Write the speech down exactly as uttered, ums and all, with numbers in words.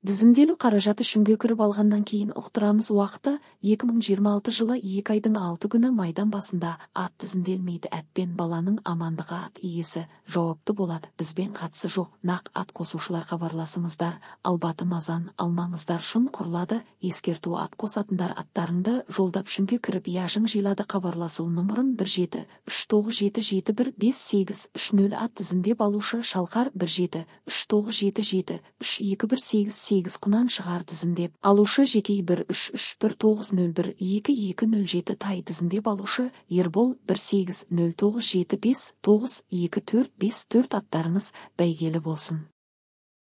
Тизимделүү каражаты шүнгө кирип алгандан кийин уктурамыз убакыты эки миң жыйырма алты жылы эки айдын алты күнү майдан басында ат тизимделмейди. Атпен баланын амандыгы ат ээси жооптуу болот. Бизбен катысы жок. Нак ат косуучулар кабарласыңыздар. Албаты мазан алмаңыздар. Шун курулады. Эскертүү ат косатындар аттарыңды жолдоп шүнгө кирип яшың жыйлады. Кабарласуу номурум бир жети үч тогуз жети жети бир беш сегиз үч нөл. Ат тизимдеп алуучу Шалкар бир жети үч тогуз жети жети үч эки бир сегиз сегиз Кунан Шыгар тизимдеп алуучу Жекей бир үч үч бир тогуз нөл бир эки эки нөл жети Тай тизимдеп алуучу Эрбол бир сегиз нөл тогуз жети беш тогуз эки төрт беш төрт. Аттарыңыз бәйгелі болсын.